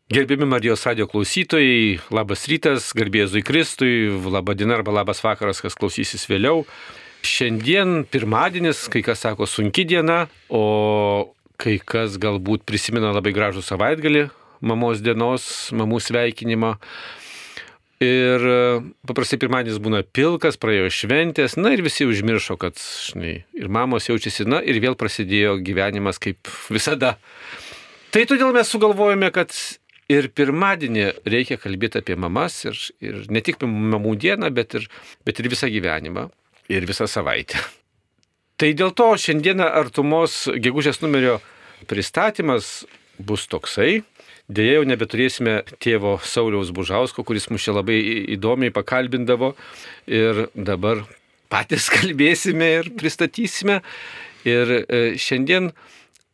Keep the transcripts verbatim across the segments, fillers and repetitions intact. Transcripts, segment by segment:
Gerbiami Marijos radijo klausytojai, labas rytas, garbė Jėzui Kristui, laba diena arba labas vakaras, kas klausysis vėliau. Šiandien pirmadienis, kai kas sako sunki diena, o kai kas galbūt prisimena labai gražų savaitgalį, mamos dienos, mamų sveikinimą. Ir paprastai pirmadienis būna pilkas, praėjo šventės, na ir visi užmiršo, kad žinai, ir mamos jaučiasi, na ir vėl prasidėjo gyvenimas kaip visada. Tai todėl mes sugalvojame, kad ir pirmadienį reikia kalbėti apie mamas ir, ir ne tik mamų dieną, bet ir, bet ir visą gyvenimą ir visą savaitę. Tai dėl to šiandieną artumos gegužės numerio pristatymas bus toksai. Deja, jau nebeturėsime tėvo Sauliaus Bužausko, kuris mus čia labai įdomiai pakalbindavo ir dabar patys kalbėsime ir pristatysime. Ir šiandien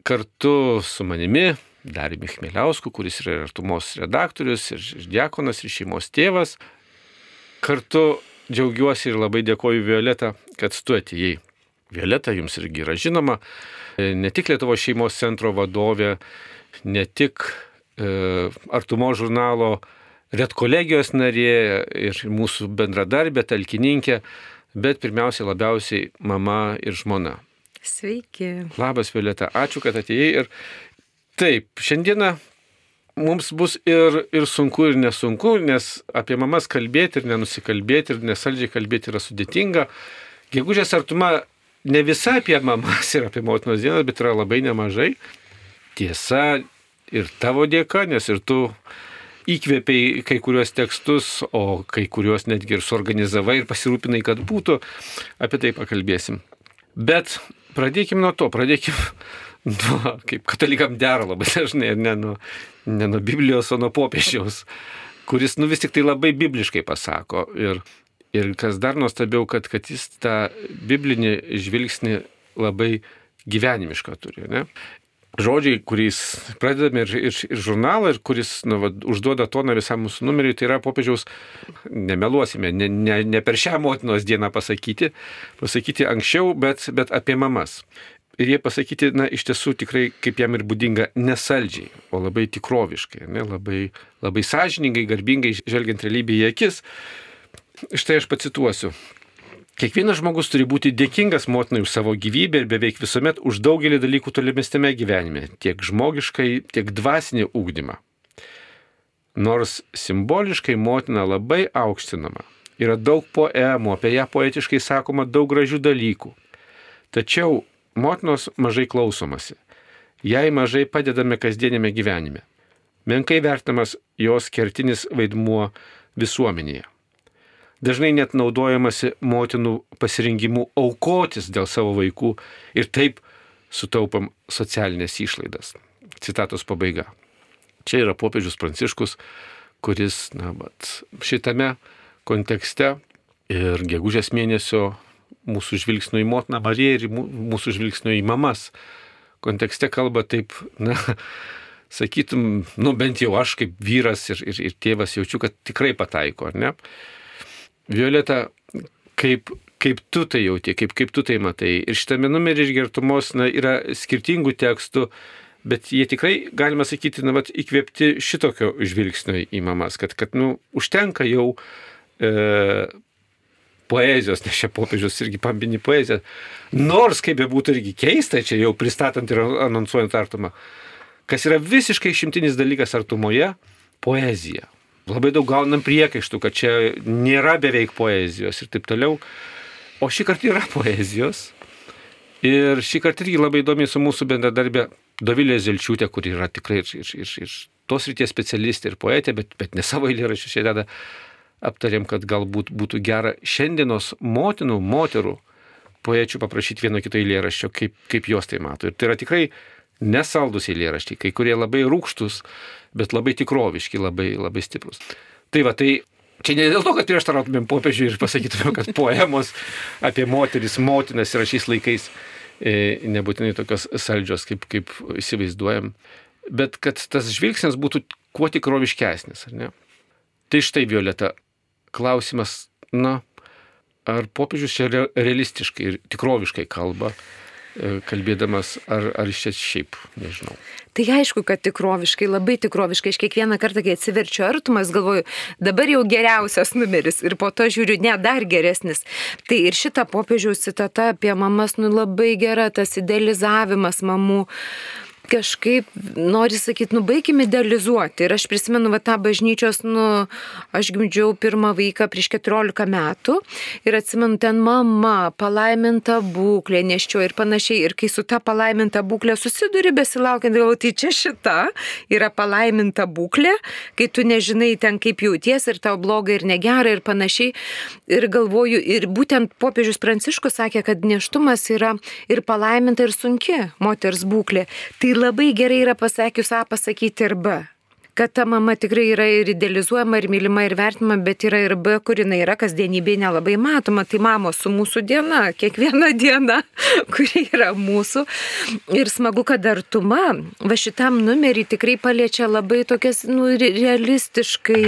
kartu su manimi, Dariumi Chmieliausku, kuris yra artumos redaktorius ir diakonas ir šeimos tėvas. Kartu džiaugiuosi ir labai dėkoju Violeta, kad tu atėjai. Violeta jums irgi yra žinoma, ne tik Lietuvos šeimos centro vadovė, ne tik e, artumos žurnalo redkolegijos narė ir mūsų bendradarbė, talkininkė, bet pirmiausiai labiausiai mama ir žmona. Sveiki. Labas, Violeta, ačiū, kad atėjai. Ir taip, šiandieną mums bus ir, ir sunku, ir nesunku, nes apie mamas kalbėti ir nenusikalbėti ir nesaldžiai kalbėti yra sudėtinga. Gegužės artuma ne visa apie mamas ir apie motinos dienas, bet yra labai nemažai. Tiesa, ir tavo dėka, nes ir tu įkvėpiai kai kuriuos tekstus, o kai kuriuos netgi ir suorganizavai ir pasirūpinai, kad būtų. Apie tai pakalbėsim. Bet pradėkim nuo to, pradėkim nuo, kaip katalikam dera labai dažnai, ne nuo, ne nuo Biblijos, o nuo popiežiaus, kuris nu vis tik tai labai bibliškai pasako. Ir, ir kas dar nuostabiau, kad, kad jis tą biblinį žvilgsnį labai gyvenimišką turi. Ne? Žodžiai, kuriais pradedame ir, ir, ir žurnalą, ir kuris nu, va, užduoda toną visam mūsų numeriui, tai yra popiežiaus, nemeluosime, ne, ne, ne per šią motinos dieną pasakyti, pasakyti anksčiau, bet, bet apie mamas. Ir jie pasakyti, na, iš tiesų tikrai, kaip jam ir būdinga, nesaldžiai, o labai tikroviškai, ne, labai, labai sąžiningai, garbingai, žvelgiant realybę į akis. Štai aš pacituosiu. Kiekvienas žmogus turi būti dėkingas motinai už savo gyvybę ir beveik visuomet už daugelį dalykų tolimesnėme gyvenime, tiek žmogiškai, tiek dvasinį ugdymą. Nors simboliškai motina labai aukštinama, yra daug poemų, apie ją poetiškai sakoma daug gražių dalykų. Tačiau motinos mažai klausomasi, jai mažai padedame kasdienėme gyvenime. Menkai vertinamas jos kertinis vaidmuo visuomenėje. Dažnai net naudojamasi motinų pasirengimu aukotis dėl savo vaikų ir taip sutaupam socialinės išlaidas. Citatos pabaiga. Čia yra popiežius Pranciškus, kuris na, vat, šitame kontekste ir gegužės mėnesio mūsų žvilgsnio į motiną Mariją ir mūsų žvilgsnio į mamas kontekste kalba taip, na, sakytum, nu bent jau aš kaip vyras ir, ir, ir tėvas jaučiu, kad tikrai pataiko, ar ne? Violeta, kaip, kaip tu tai jauti, kaip, kaip tu tai matai. Ir šitame numerį iš artumos na, yra skirtingų tekstų, bet jie tikrai, galima sakyti, na, vat, įkvėpti šitokio žvilgsnio į mamas, kad, kad nu, užtenka jau e, poezijos, nes čia popiežius irgi pambini poeziją. Nors, kaip be būtų irgi keista, čia jau pristatant ir anonsuojant artumą, kas yra visiškai išimtinis dalykas artumoje, poezija. Labai daug gaunam priekaištų, kad čia nėra beveik poezijos ir taip toliau. O šį kartą yra poezijos. Ir šį kartą irgi labai įdomi su mūsų bendradarbė Dovilė Zelčiūtė, kuri yra tikrai ir, ir, ir, ir tos ryties specialistė ir poetė, bet, bet ne savo eilėraščius čia deda. Aptarėm, kad galbūt būtų gera šiandienos motinų, moterų poečių paprašyti vieno kito eilėraščio, kaip, kaip jos tai mato. Ir tai yra tikrai nesaldus eilėraščiai, kai kurie labai rūgštus, bet labai tikroviški, labai, labai stiprus. Tai va, tai čia ne dėl to, kad prieštarautumėm popiežiui ir pasakytumėm, kad poemos apie moteris, motinas yra šiais laikais e, nebūtinai tokios saldžios, kaip, kaip įsivaizduojam, bet kad tas žvilgsnis būtų kuo tikroviškesnis, ar ne? Tai štai, Violeta, klausimas, na, ar popiežius čia realistiškai ir tikroviškai kalba, kalbėdamas, ar, ar iš čia šiaip, nežinau. Tai aišku, kad tikroviškai, labai tikroviškai, aš kiekvieną kartą, kai atsiverčiu Artumas, galvoju, dabar jau geriausias numeris ir po to žiūriu, ne, dar geresnis. Tai ir šita popiežiaus citata apie mamas, nu labai gera, tas idealizavimas mamų. Kažkaip nori sakyti, nu baigime idealizuoti. Ir aš prisimenu va, tą bažnyčios, nu, aš gimdžiau pirmą vaiką prieš keturiolika metų ir atsimenu ten mama, palaiminta būklė, neščio ir panašiai. Ir kai su ta palaiminta būklė susiduri besilaukiant, galvoju, tai čia šita yra palaiminta būklė, kai tu nežinai ten kaip jauties ir tau bloga ir negera ir panašiai. Ir galvoju, ir būtent popiežius Pranciškus sakė, kad nėštumas yra ir palaiminta ir sunki moters būklė. Tai labai gerai yra pasakius A pasakyti ir B. Kad ta mama tikrai yra ir idealizuojama, ir mylima, ir vertinama, bet yra ir B, kur jinai yra kasdienybėje nelabai matoma. Tai mamos su mūsų diena, kiekviena diena, kuri yra mūsų. Ir smagu, kad artuma va šitam numerį tikrai paliečia labai tokias nu, realistiškai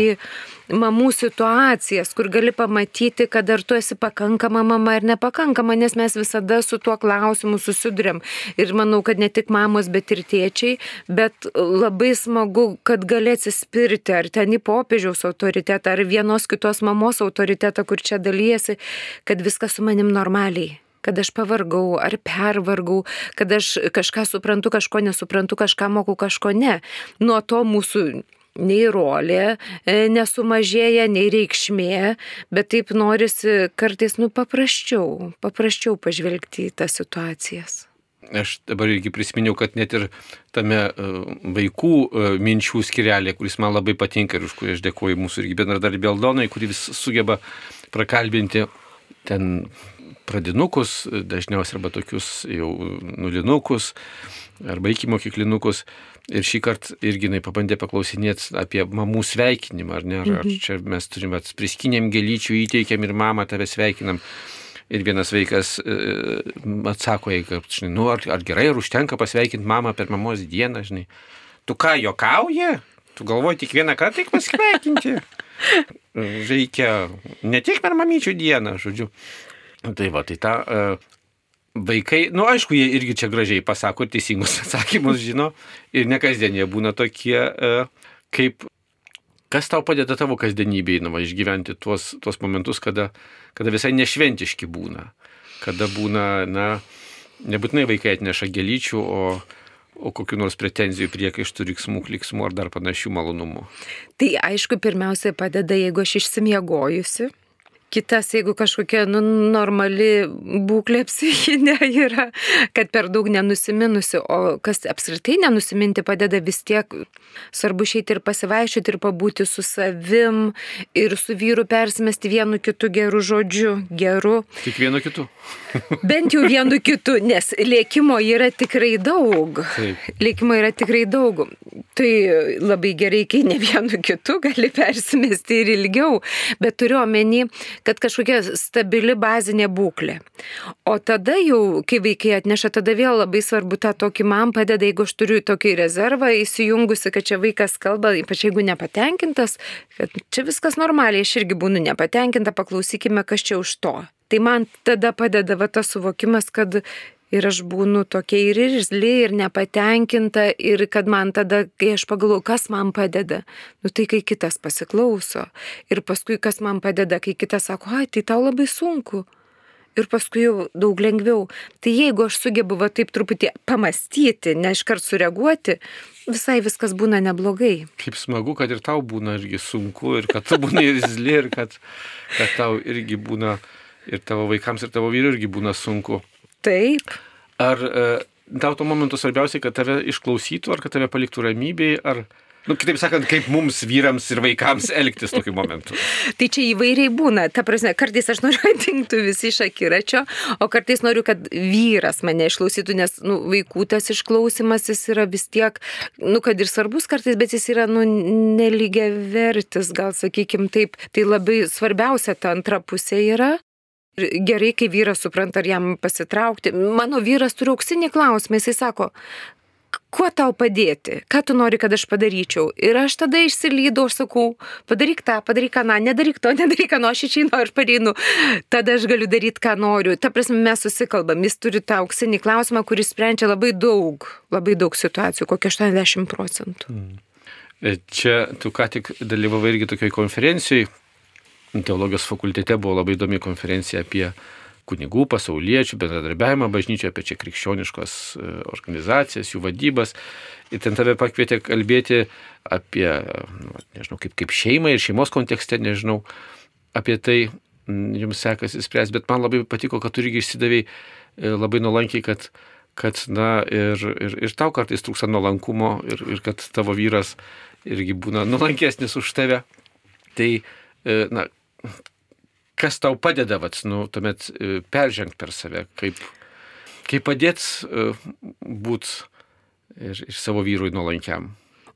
mamų situacijas, kur gali pamatyti, kad ar tu esi pakankama mama ar nepakankama, nes mes visada su tuo klausimu susidurėm. Ir manau, kad ne tik mamos, bet ir tėčiai, bet labai smagu, kad gali atsispirti ar ten į popiežiaus autoritetą, ar vienos kitos mamos autoritetą, kur čia dalyjasi, kad viskas su manim normaliai. Kad aš pavargau ar pervargau, kad aš kažką suprantu, kažko nesuprantu, kažką moku, kažko ne. Nuo to mūsų nei rolė nesumažėja, nei reikšmė, bet taip norisi kartais, nu, paprasčiau, paprasčiau pažvelgti į tas situacijas. Aš dabar irgi prisiminiau, kad net ir tame vaikų minčių skirelė, kuris man labai patinka ir už kurį aš dėkuoju mūsų irgi bendradarbį Aldonai, kuri vis sugeba prakalbinti ten pradinukus, dažniausiai arba tokius jau nulinukus, arba iki mokyklinukus. Ir šį kartą irgi jinai pabandė paklausinėti apie mamų sveikinimą, ar ne? Ar, ar čia mes turim priskinėm gėlyčių, įteikėm ir mamą tave sveikinam. Ir vienas vaikas e, atsako, kad, žinai, nu, ar, ar gerai, ar užtenka pasveikinti mamą per mamos dieną, žinai. Tu ką, juokauji? Tu galvoji tik vieną kartą tik pasveikinti? Reikia ne tik per mamyčių dieną, žodžiu. Tai va, tai ta... E, Vaikai, nu aišku, jie irgi čia gražiai pasako ir teisingus atsakymus žino ir ne kasdien jie būna tokie, kaip, kas tau padeda tavo kasdienybėje, nu, išgyventi tuos, tuos momentus, kada, kada visai nešventiški būna, kada būna, na, nebūtinai vaikai atneša gėlyčių, o, o kokių nors pretenzijų, priekaištų, riksmų, kliksmų ar dar panašių malonumų. Tai aišku, pirmiausiai padeda, jeigu aš išsimiegojusi. Kitas, jeigu kažkokia nu, normali būklė psichinė yra, kad per daug nenusiminusi, o kas apskritai nenusiminti padeda vis tiek, svarbu išeiti ir pasivaiščioti ir pabūti su savim ir su vyru persimesti vienu kitu geru žodžiu, geru. Tik vienu kitu. Bent jau vienu kitu, nes lėkimo yra tikrai daug. Taip. Lėkimo yra tikrai daug. Tai labai gerai, kai ne vienu kitu gali persimesti ir ilgiau, bet turiu omeny, kad kažkokia stabili bazinė būklė. O tada jau, kai vaikai atneša, tada vėl labai svarbu tą tokį man padeda, jeigu aš turiu tokį rezervą įsijungusi, kad čia vaikas kalba, ypač jeigu nepatenkintas, kad čia viskas normaliai, aš irgi būnu nepatenkinta, paklausykime, kas čia už to. Tai man tada padeda va tas suvokimas, kad ir aš būnu tokia ir irzli, ir nepatenkinta, ir kad man tada, kai aš pagalvoju, kas man padeda, nu tai kai kitas pasiklauso. Ir paskui, kas man padeda, kai kitas sako, ai, tai tau labai sunku. Ir paskui jau daug lengviau. Tai jeigu aš sugebu va taip truputį pamastyti, ne iškart sureaguoti, visai viskas būna neblogai. Kaip smagu, kad ir tau būna irgi sunku, ir kad tu būna irzli, ir kad, kad tau irgi būna, ir tavo vaikams, ir tavo vyrui irgi būna sunku. Taip. Ar e, tau to momentu svarbiausiai, kad tave išklausytų, ar kad tave paliktų ramybėje, ar, nu, kitaip sakant, kaip mums vyrams ir vaikams elgtis tokiu momentu? Tai čia įvairiai būna. Ta prasme, kartais aš noriu atingtų visi iš akiračio, o kartais noriu, kad vyras mane išklausytų, nes nu, vaikų tas išklausimas jis yra vis tiek, nu, kad ir svarbus kartais, bet jis yra nu, nelygiavertis, gal sakykim taip. Tai labai svarbiausia ta antra pusė yra. Gerai, kai vyras supranta, ar jam pasitraukti. Mano vyras turi auksinį klausimą, jisai sako, kuo tau padėti, ką tu nori, kad aš padaryčiau. Ir aš tada išsilydau, aš sakau, padaryk tą, padaryk ką, na, nedaryk to, nedaryk ką, nu, aš išeinu, aš pareinu, tada aš galiu daryti, ką noriu. Ta prasme, mes susikalbam, jis turi tą auksinį klausimą, kuris sprendžia labai daug, labai daug situacijų, kokie aštuoniasdešimt procentų. Hmm. Čia tu ką tik dalyvavai irgi tokioj konferencijai, teologijos fakultete buvo labai įdomi konferencija apie kunigų, pasauliečių, bendradarbiavimą bažnyčioje, apie čia krikščioniškos organizacijas, jų vadybas. Ir ten tave pakvietė kalbėti apie, nu, nežinau, kaip, kaip šeimą ir šeimos kontekste, nežinau, apie tai jums sekasi spręsti, bet man labai patiko, kad tu irgi išsidavėjai labai nuolankiai, kad, kad na, ir, ir, ir tau kartais trūksta nuolankumo ir, ir kad tavo vyras irgi būna nuolankesnis už tave. Tai, na, kas tau padeda, vat, nu, tuomet peržengti per save, kaip, kaip padėt būt ir, ir savo vyrui nuolankiam?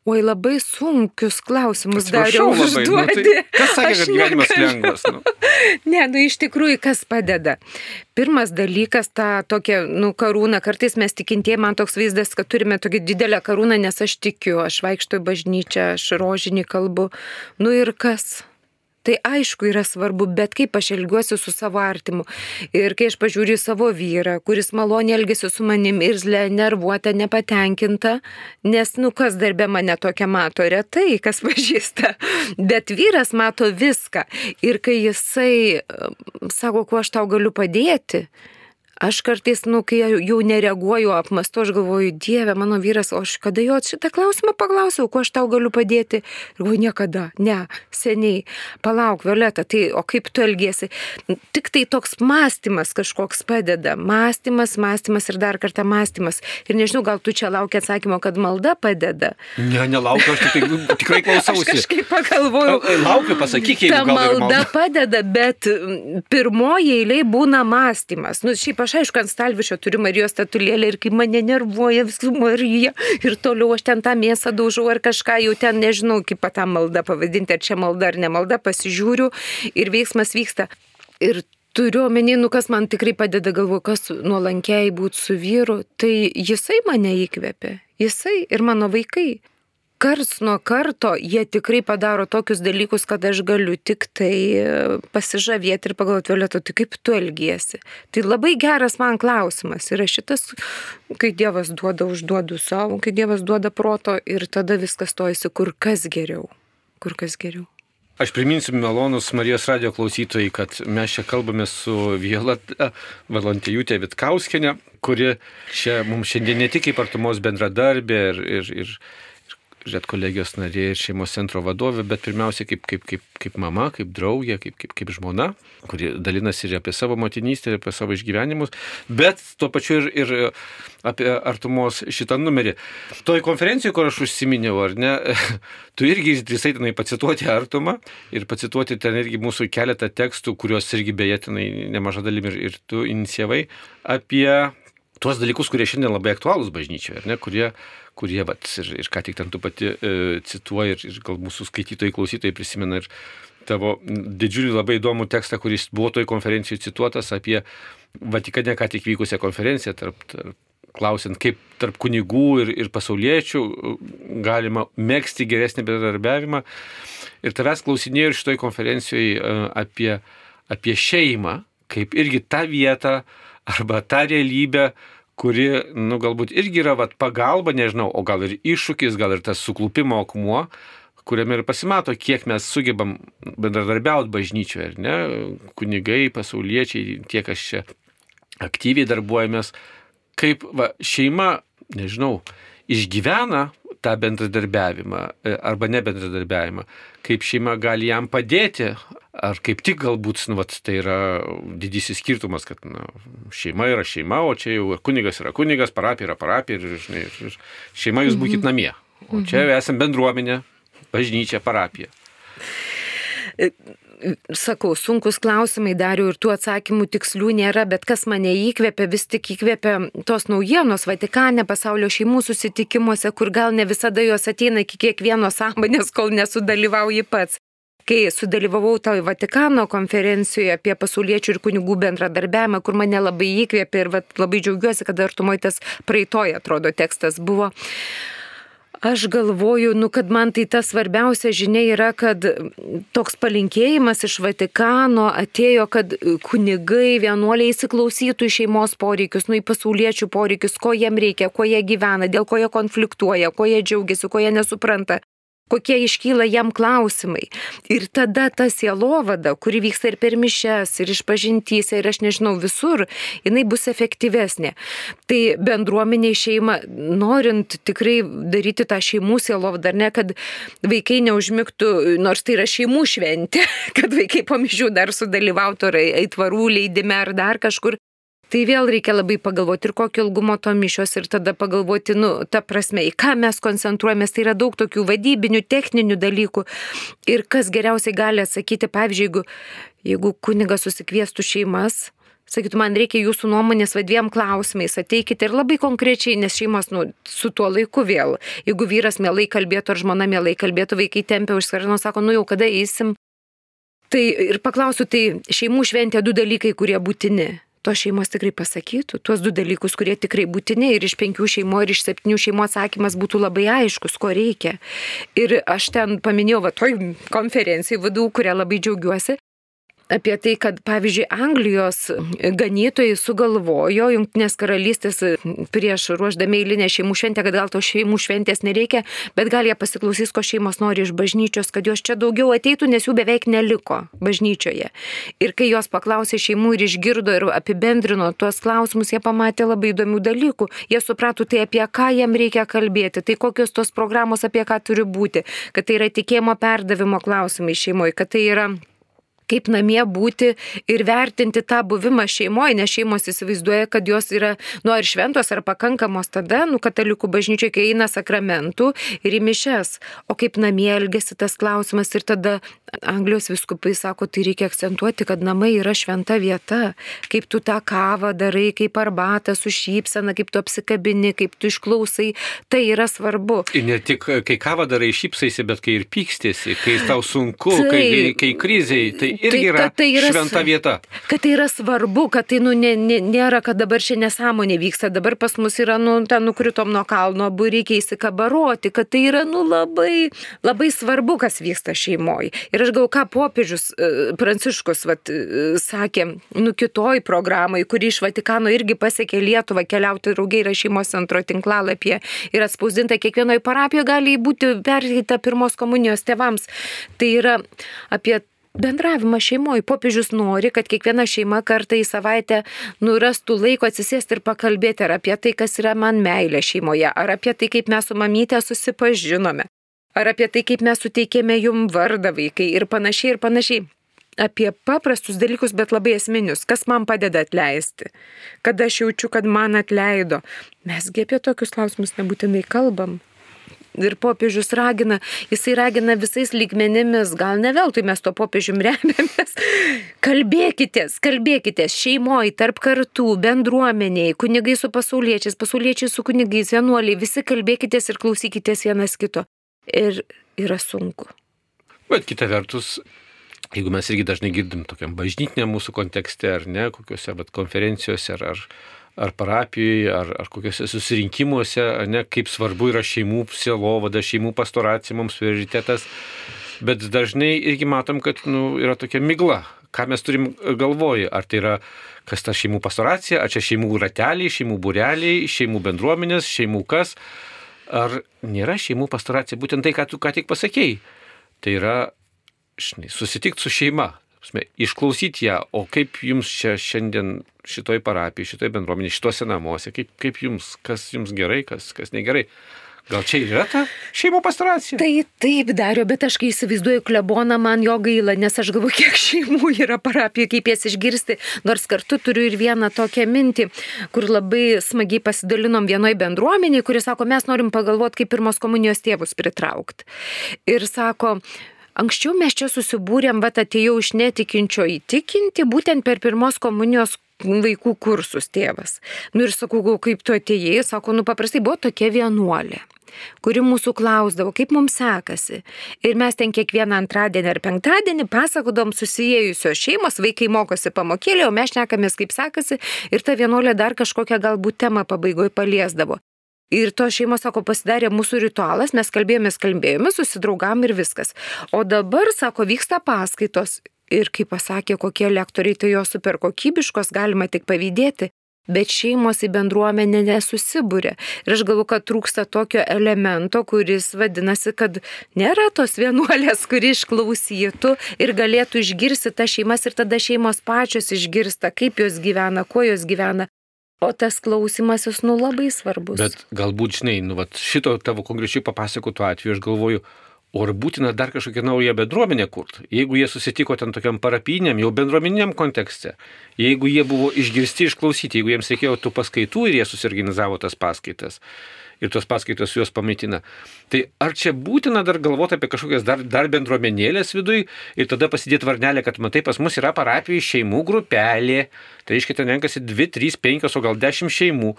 Oi, labai sunkius klausimus dariau užduoti. Nu, tai kas sakė, kad gyvenimas lengvas? Nu? Ne, nu iš tikrųjų, kas padeda? Pirmas dalykas, tą tokią, nu, karūną, kartais mes tikintieji, man toks vaizdas, kad turime tokią didelę karūną, nes aš tikiu, aš vaikštau į bažnyčią, aš rožinį kalbu, nu ir kas? Tai aišku yra svarbu, bet kaip aš elgiuosi su savo artimu. Ir kai aš pažiūriu į savo vyrą, kuris maloniai elgėsi su manim, irzlė, nervuota, nepatenkinta, nes, nu, kas darbė mane tokia mato, retai, kas pažįsta. Bet vyras mato viską. Ir kai jisai sako, kuo aš tau galiu padėti, aš kartais, nu, kai jau nereaguoju, apmastu, aš galvoju, Dieve, mano vyras, o aš kada jo šitą klausimą paklausiau, kuo aš tau galiu padėti? Ir galvoju, niekada, ne, seniai, palauk, Violeta, tai o kaip tu elgiesi? Tik tai toks mąstymas kažkoks padeda, mąstymas, mąstymas ir dar kartą mąstymas. Ir nežinau, gal tu čia laukia atsakymo, kad malda padeda? Ne, nelaukiu, aš tik, tikrai klausausi. Aš kažkaip pagalvojau. Laukiu, pasakyk, jeigu gal ir malda. Ta malda padeda, bet pirmoji eilė būna mąstymas. Nu, šiaip aš aišku, ant stalvišio turiu Marijos statulėlę ir kai mane nervuoja visų Marija ir toliau aš ten tą mėsą daužau ar kažką, jau ten nežinau, kaip tą maldą pavadinti, ar čia malda ar ne malda, pasižiūriu ir veiksmas vyksta. Ir turiu omeny, nu kas man tikrai padeda, galvoju, kas nuolankiai būti su vyru, tai jisai mane įkvėpė, jisai ir mano vaikai. Karts nuo karto jie tikrai padaro tokius dalykus, kad aš galiu tik tai pasižavėti ir pagalvoti, Violeta, tai kaip tu elgiesi. Tai labai geras man klausimas yra šitas, kai Dievas duoda, užduodu savo, kai Dievas duoda proto ir tada viskas stojasi kur kas geriau, kur kas geriau. Aš priminsiu malonus Marijos radijo klausytojai, kad mes čia kalbame su Violeta Valantijūtė Vitkauskienė, kuri čia mums šiandien ne tik kaip artumos bendradarbė ir, ir, ir Žiūrėt kolegijos narė ir šeimos centro vadovė, bet pirmiausia kaip, kaip, kaip, kaip mama, kaip draugė, kaip, kaip, kaip žmona, kuri dalinasi ir apie savo motinystę, ir apie savo išgyvenimus, bet tuo pačiu ir, ir apie artumos šitą numerį. Toj konferencijoje, kur aš užsiminiau, ar ne, tu irgi drįsai tenai pacituoti artumą ir pacituoti ten irgi mūsų keletą tekstų, kuriuos irgi beje tenai nemaža dalim ir, ir tu inicijavai, apie tuos dalykus, kurie šiandien labai aktualūs bažnyčioje, ar ne, kurie kurie, vat, ir, ir ką tik ten tu pati e, cituoji ir, ir gal mūsų skaitytojai, klausytojai prisimena ir tavo didžiulį labai įdomų tekstą, kuris buvo toj konferencijoje cituotas apie Vatikane ką tik vykusią konferenciją, tarp, tarp, klausiant, kaip tarp kunigų ir, ir pasauliečių galima megzti geresnį bendradarbiavimą. Ir tavęs klausinėjau ir šitoj konferencijoje e, apie, apie šeimą, kaip irgi tą vietą arba tą realybę, kuri, nu, galbūt irgi yra vat, pagalba, nežinau, o gal ir iššūkis, gal ir tas suklupimo akmuo, kuriame ir pasimato, kiek mes sugebam bendradarbiauti bažnyčioje, ar ne, kunigai, pasauliečiai, tie, kas čia aktyviai darbuojamės, kaip va, šeima, nežinau, išgyvena tą bendradarbiavimą arba nebendradarbiavimą, kaip šeima gali jam padėti, ar kaip tik galbūt, nu, vat, tai yra didysis skirtumas, kad na, šeima yra šeima, o čia jau kunigas yra kunigas, parapija yra parapija ir, žinai, ir šeima jūs būkit namie. O čia esam bendruomenė, bažnyčia, parapija. Sakau, sunkus klausimai dariau ir tų atsakymų tikslių nėra, bet kas mane įkvėpia, vis tik įkvėpia tos naujienos Vatikane, pasaulio šeimų susitikimuose, kur gal ne visada jos ateina iki kiekvieno sąmonės, kol nesudalyvauji pats. kai sudalyvavau toj Vatikano konferencijoje apie pasauliečių ir kunigų bendradarbiavimą, kur mane labai įkvėpė ir vat, labai džiaugiuosi, kad artumoj tas praeitoj, atrodo, tekstas buvo. Aš galvoju, nu, kad man tai ta svarbiausia žinia yra, kad toks palinkėjimas iš Vatikano atėjo, kad kunigai, vienuoliai įsiklausytų į šeimos poreikius, nu, į pasauliečių poreikius, ko jiem reikia, kuo jie gyvena, dėl ko jie konfliktuoja, kuo jie džiaugiasi, ko jie nesupranta, kokie iškyla jam klausimai. Ir tada ta sielovada, kuri vyksta ir per mišias, ir išpažintyse, ir aš nežinau visur, jinai bus efektyvesnė. Tai bendruomeniai šeima, norint tikrai daryti tą šeimų sielovadą, ar ne, kad vaikai neužmigtų, nors tai yra šeimų šventė, kad vaikai po mišių dar sudalyvautų ar aitvarų leidime ar dar kažkur. Tai vėl reikia labai pagalvoti ir kokio ilgumo to mišios ir tada pagalvoti, nu, ta prasme, į ką mes koncentruojamės, tai yra daug tokių vadybinių, techninių dalykų. Ir kas geriausiai gali atsakyti, pavyzdžiui, jeigu, jeigu kunigas susikviestų šeimas, sakytų, man reikia jūsų nuomonės va dviem klausimais, ateikite ir labai konkrečiai, nes šeimos, nu, su tuo laiku vėl. Jeigu vyras mielai kalbėtų ar žmona mielai kalbėtų, vaikai tempia už skarno, sako, nu jau kada eisim. Tai ir paklausiu, tai šeimų šventė du dalykai, kurie būtini. Tos šeimos tikrai pasakytų, tuos du dalykus, kurie tikrai būtini ir iš penkių šeimų ir iš septynių šeimų atsakymas būtų labai aiškus, ko reikia. Ir aš ten paminėjau, va, toj konferencijai vadų, kurią labai džiaugiuosi, apie tai, kad, pavyzdžiui, Anglijos ganytojai sugalvojo Jungtinės karalystės prieš ruoždami eilinę šeimų šventę, kad gal to šeimų šventės nereikia, bet gal jie pasiklausys, ko šeimos nori iš bažnyčios, kad jos čia daugiau ateitų, nes jų beveik neliko bažnyčioje. Ir kai jos paklausė šeimų ir išgirdo ir apibendrino tuos klausimus, jie pamatė labai įdomių dalykų. Jie suprato tai, apie ką jiem reikia kalbėti, tai kokios tos programos apie ką turi būti, kad tai yra tikėjimo perdavimo klausimai šeimoje, kad tai yra kaip namie būti ir vertinti tą buvimą šeimoje, nes šeimos įsivaizduoja, kad jos yra, nu, ar šventos, ar pakankamos tada, nu, katalikų bažnyčioje, kai eina sakramentų ir į mišias. O kaip namie elgesi tas klausimas ir tada Anglijos vyskupai sako, tai reikia akcentuoti, kad namai yra šventa vieta. Kaip tu tą kavą darai, kaip arbatą su šypsena, kaip tu apsikabini, kaip tu išklausai, tai yra svarbu. Ir ne tik, kai kavą darai šypsaisi, bet kai ir pykstėsi, kai tau sunku, tai, kai, kai kriziai, tai irgi yra, tai, tai yra šventa vieta. Kad tai yra svarbu, kad tai nu, ne, ne, nėra, kad dabar čia nesąmonė vyksta, dabar pas mus yra, nu, ten nukritom nuo kalno, abu reikia įsikabaroti, kad tai yra, nu, labai, labai svarbu, kas vyksta šeimoje. Ir aš galvoju, ką popiežius Pranciškus vat, sakė, nu, kitoj programai, kuri iš Vatikano irgi pasiekė Lietuvą, keliauti draugiai yra šeimos centro tinklalapyje ir atspausdinta kiekvienoje parapijoje gali būti perteikta pirmos komunijos tėvams. Tai yra apie bendravimą šeimoje. Popiežius nori, kad kiekviena šeima kartą į savaitę nurastų laiko atsisėsti ir pakalbėti ar apie tai, kas yra man meilė šeimoje, ar apie tai, kaip mes su mamytė susipažinome, ar apie tai, kaip mes suteikėme jum vardą vaikai ir panašiai ir panašiai. Apie paprastus dalykus, bet labai esminius. Kas man padeda atleisti? Kada aš jaučiu, kad man atleido? Mesgi apie tokius klausimus nebūtinai kalbam. Ir popiežius ragina, jisai ragina visais lygmenimis, gal ne veltui mes to popiežium remiamės. Kalbėkitės, kalbėkitės šeimoje, tarp kartų, bendruomeniai, kunigai su pasauliečiais, pasauliečiai su kunigais, vienuoliai, visi kalbėkitės ir klausykitės vienas kito. Ir yra sunku. Bet kita vertus, jeigu mes irgi dažnai girdim tokiam bažnytiniam mūsų kontekste, ar ne, kokiuose vat, konferencijose, ar, ar, ar parapijoje, ar, ar kokiuose susirinkimuose, ar ne, kaip svarbu yra šeimų sielovada, šeimų pastoracija mums prioritetas, bet dažnai irgi matom, kad nu, yra tokia migla. Ką mes turim galvoje, ar tai yra, kas ta šeimų pastoracija, ar čia šeimų rateliai, šeimų būreliai, šeimų bendruomenės, šeimų kas, ar nėra šeimų pastoracija, būtent tai, ką tu ką tik pasakėjai. Tai yra, žinai, susitikti su šeima, išklausyti ją, o kaip jums čia šiandien šitoj parapijai, šitoj bendruomenė, šituose namuose, kaip, kaip jums, kas jums gerai, kas, kas negerai. Gal čia yra ta šeimų pastoracija? Tai taip, Dario, bet aš kai įsivaizduoju kleboną, man jo gaila, nes aš galvoju, kiek šeimų yra parapijoje, kaip jas išgirsti, nors kartu turiu ir vieną tokią mintį, kur labai smagiai pasidalinom vienoj bendruomeniai, kuris sako, mes norim pagalvoti, kaip pirmos komunijos tėvus pritraukti. Ir sako, anksčiau mes čia susibūrėm, bet atėjau iš netikinčio įtikinti, būtent per pirmos komunijos vaikų kursus tėvas. Nu ir sakau, kaip tu atėjai, sako, nu paprastai buvo tokia vienuolė. kuri mūsų klausdavo, kaip mums sekasi. Ir mes ten kiekvieną antradienį ar penktadienį pasakodom susijėjusios šeimos, vaikai mokosi pamokėlį, o mes šnekamės, kaip sekasi, ir ta vienuolė dar kažkokią galbūt temą pabaigoje paliesdavo. Ir to šeimos, sako, pasidarė mūsų ritualas, mes kalbėjomės, kalbėjomės, susidraugam ir viskas. O dabar, sako, vyksta paskaitos. Ir kaip pasakė, kokie lektoriai, tai jos super kokybiškos, galima tik pavydėti, bet šeimos į bendruomenę nesusibūrė. Ir aš galvoju, kad trūksta tokio elemento, kuris vadinasi, kad nėra tos vienuolės, kuri išklausytų ir galėtų išgirsti tas šeimas ir tada šeimos pačios išgirsta, kaip jos gyvena, kuo jos gyvena. O tas klausimasis, nu, labai svarbus. Bet galbūt, žinai, nu, vat, šito tavo konkrečiai papasakotų atveju, aš galvoju, o ar būtina dar kažkokią naują bendruomenę kurti? Jeigu jie susitiko ten tokiam parapiniam, jau bendruomeniniam kontekste, jeigu jie buvo išgirsti, išklausyti, jeigu jiems reikėjo tų paskaitų ir jie susiorganizavo tas paskaitas ir tos paskaitos juos pamaitina, tai ar čia būtina dar galvoti apie kažkokias dar, dar bendruomenėlės viduj ir tada pasidėti varnelę, kad matai, pas mus yra parapijų šeimų grupelė, tai reiškia, ten renkasi dvi, trys, penkios, o gal dešimt šeimų.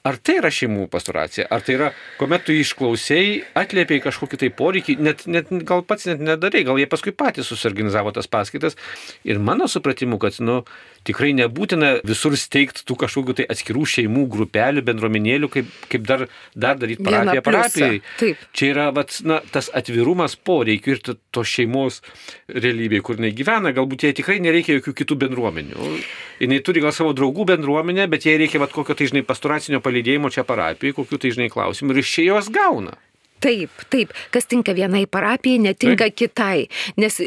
Ar tai yra šeimų pastoracija? Ar tai yra, kuomet tu išklausėjai, atliepiai kažkokį tai poreikį, net, net, gal pats net nedarai, gal jie paskui patys susiorganizavo tas paskaitas. Ir mano supratimu, kad nu, tikrai nebūtina visur steigti tų kažkokių tai atskirų šeimų grupelių, bendruomenėlių, kaip, kaip dar, dar daryti parapiją parapijai. Čia yra vat, na, tas atvirumas poreikių ir to šeimos realybėje, kur jinai gyvena, galbūt jai tikrai nereikia jokių kitų bendruomenių. Jinai turi gal savo draugų bendruomenę, bet jai reikia vat, kokio tai, žinai, pastoracinio palydėjimo čia parapijai, kokių tai, žinai, klausimų ir iš čia jos gauna. Taip, taip. Kas tinka vienai parapijai, netinka taip. Kitai. Nes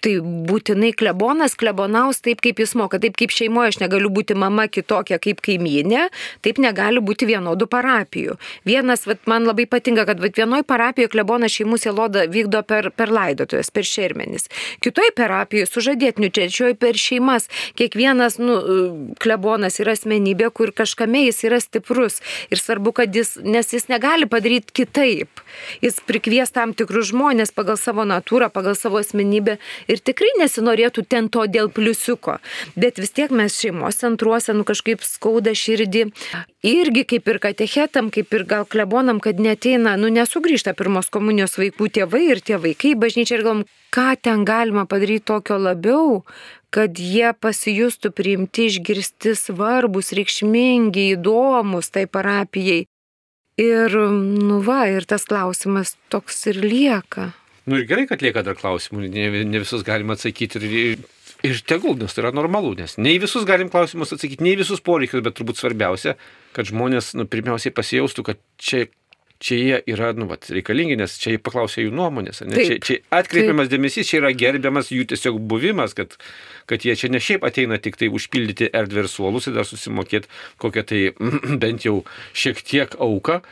tai būtinai klebonas klebonaus taip, kaip jis moka. Taip kaip šeimoje aš negaliu būti mama kitokia kaip kaimynė, taip negali būti vienodų parapijų. Vienas, vat, man labai patinka, kad vat, vienoj parapijoje klebonas šeimų sielodą vykdo per, per laidotuves, per šermenis. Kitoj parapijoje sužadėtinių, trečioje per šeimas. Kiekvienas nu, klebonas yra asmenybė, kur kažkame jis yra stiprus. Ir svarbu, kad jis, nes jis negali padaryti kitaip. Jis prikvies tam tikrus žmonės pagal savo natūrą, pagal savo asmenybę. Ir tikrai nesinorėtų ten to dėl pliusiuko. Bet vis tiek mes šeimos centruose nu, kažkaip skauda širdį. Irgi kaip ir katechetam, kaip ir gal klebonam, kad neteina, nu nesugrįžta pirmos komunijos vaikų tėvai ir tie vaikai bažnyčia ir galvom, ką ten galima padaryti tokio labiau, kad jie pasijustų priimti, išgirsti svarbus, reikšmingi, įdomus tai parapijai. Ir, nu va, ir tas klausimas toks ir lieka. Nu ir gerai, kad lieka dar klausimų, ne, ne visus galima atsakyti ir, ir tegul, nes tai yra normalu, nes ne į visus galim klausimus atsakyti, ne į visus poreikius, bet turbūt svarbiausia, kad žmonės nu, pirmiausiai pasijaustų, kad čia, čia jie yra nu, vat, reikalingi, nes čia jie paklausė jų nuomonės, ne? Čia, čia atkreipiamas dėmesys, čia yra gerbiamas jų tiesiog buvimas, kad, kad jie čia ne šiaip ateina tik tai užpildyti erdvę ir suolus ir dar susimokėti kokią tai bent jau šiek tiek auką.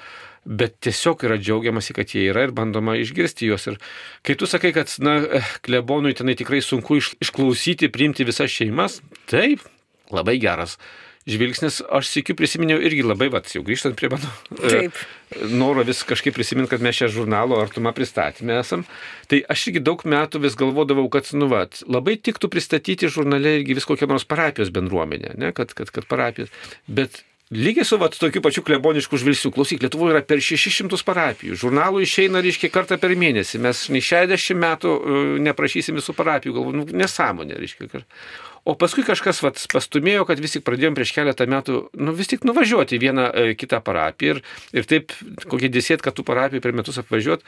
Bet tiesiog yra džiaugiamasi, kad jie yra ir bandoma išgirsti juos. Ir kai tu sakai, kad na, klebonui tenai tikrai sunku iš, išklausyti, priimti visas šeimas, taip, labai geras žvilgsnis. Aš sėkiu prisiminiau irgi labai, vat, jau grįžtant prie mano taip. Noro vis kažkaip prisiminti, kad mes šią žurnalo Artuma pristatymę esam. Tai aš irgi daug metų vis galvodavau, kad nu, vat, labai tiktų pristatyti žurnale irgi vis kokią nors parapijos bendruomenę, ne? kad, kad, kad parapijos. Bet lygiai su vat, tokiu pačiu klebonišku žvilgsniu. Klausyk, Lietuvoje yra per šešis šimtus parapijų. Žurnalų išeina, reiškia, kartą per mėnesį. Mes nei šešiasdešimt metų neprašysim visų parapijų. Galvoju, nu, nesąmonė, reiškia. O paskui kažkas vat, pastumėjo, kad vis tik pradėjom prieš keletą metų nu, vis tik nuvažiuoti vieną e, kitą parapiją ir, ir taip kokį desėtką tų parapijų per metus apvažiuoti.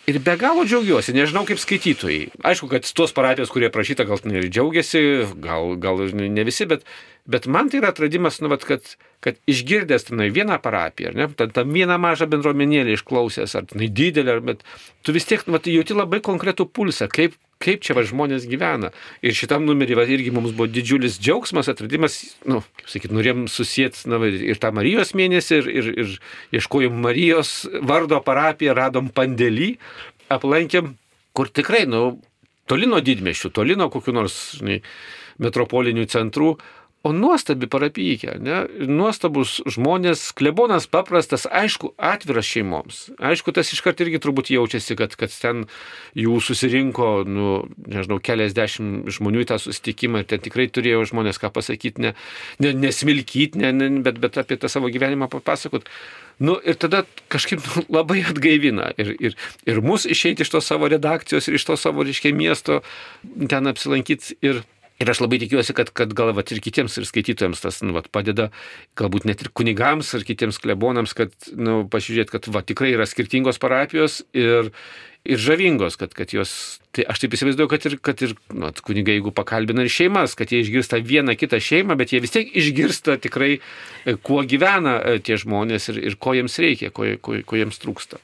Ir be galo džiaugiuosi, nežinau kaip skaitytojai. Aišku, kad tos parapijos, kurie prašyta, gal ir džiaugiasi, gal, gal ne visi, bet, bet man tai yra atradimas, nu, vat, kad, kad išgirdęs tenai vieną parapiją, ne, tą, tą vieną mažą bendruomenėlį išklausęs, ar tenai didelį, bet tu vis tiek nu, vat, jauti labai konkretų pulsą, kaip, kaip čia va, žmonės gyvena. Ir šitam numerį va, irgi mums buvo didžiulis džiaugsmas, atradimas, nu, kaip sakyt, norėjom susijęti na, ir tą Marijos mėnesį, ir, ir, ir ieškojom Marijos vardo parapiją, radom Pandėlį, aplankėm, kur tikrai, nu, toli nuo didmiesčių, toli nuo kokių nors žinai, metropolinių centrų, o nuostabi parapijykė, ne? Nuostabus žmonės, klebonas paprastas, aišku, atviras šeimoms. Aišku, tas iškart irgi turbūt jaučiasi, kad, kad ten jų susirinko, nu, nežinau, keliasdešimt žmonių į tą susitikimą ir ten tikrai turėjo žmonės ką pasakyti, ne, ne, nesmilkyti, ne, ne, bet, bet apie tą savo gyvenimą papasakot. Nu, ir tada kažkaip nu, labai atgaivina ir, ir, ir mus išeiti iš to savo redakcijos ir iš to savo, reiškia, miesto ten apsilankyti ir Ir aš labai tikiuosi, kad, kad gal vat, ir kitiems ir skaitytojams tas nu, vat, padeda, galbūt net ir kunigams ar kitiems klebonams, kad nu, pasižiūrėt, kad va, tikrai yra skirtingos parapijos ir, ir žavingos, kad, kad jos, tai aš taip įsivaizduoju, kad ir, kad ir nu, kunigai, jeigu pakalbina ir šeimas, kad jie išgirsta vieną kitą šeimą, bet jie vis tiek išgirsta tikrai, kuo gyvena tie žmonės ir, ir ko jiems reikia, ko, ko, ko jiems trūksta.